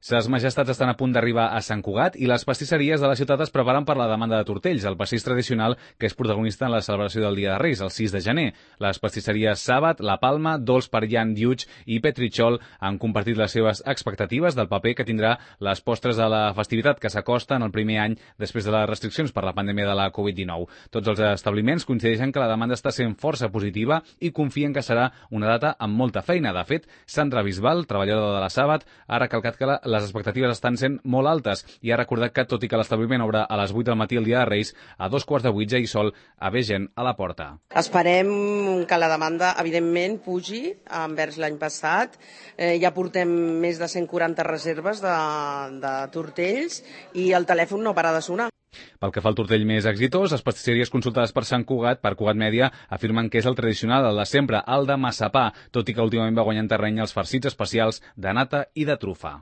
Ses majestats estan a punt d'arribar a Sant Cugat i les pastisseries de la ciutat es preparen per la demanda de tortells, el pastís tradicional que és protagonista en la celebració del Dia de Reis, el 6 de gener. Les pastisseries Sàbat, La Palma, Dolç Perian Lluig i Petritxol han compartit les seves expectatives del paper que tindrà les postres de la festivitat que s'acosta en el primer any després de les restriccions per la pandèmia de la Covid-19. Tots els establiments coincideixen que la demanda està sent força positiva i confien que serà una data amb molta feina. De fet, Sandra Bisbal, treballadora de la Sàbat, ha recalcat que les expectatives estan sent molt altes i ha recordat que, tot i que l'establiment obre a les 8 del matí el dia de Reis, a 2:15 ja hi sol haver gent a la porta. Esperem que la demanda, evidentment, pugi envers l'any passat. Ja portem més de 140 reserves de tortells i el telèfon no para de sonar. Pel que fa al tortell més exitós, les pastisseries consultades per Sant Cugat, per Cugat Mèdia, afirmen que és el tradicional, el de sempre, el de massapà, tot i que últimament va guanyant terreny els farcits especials de nata i de trufa.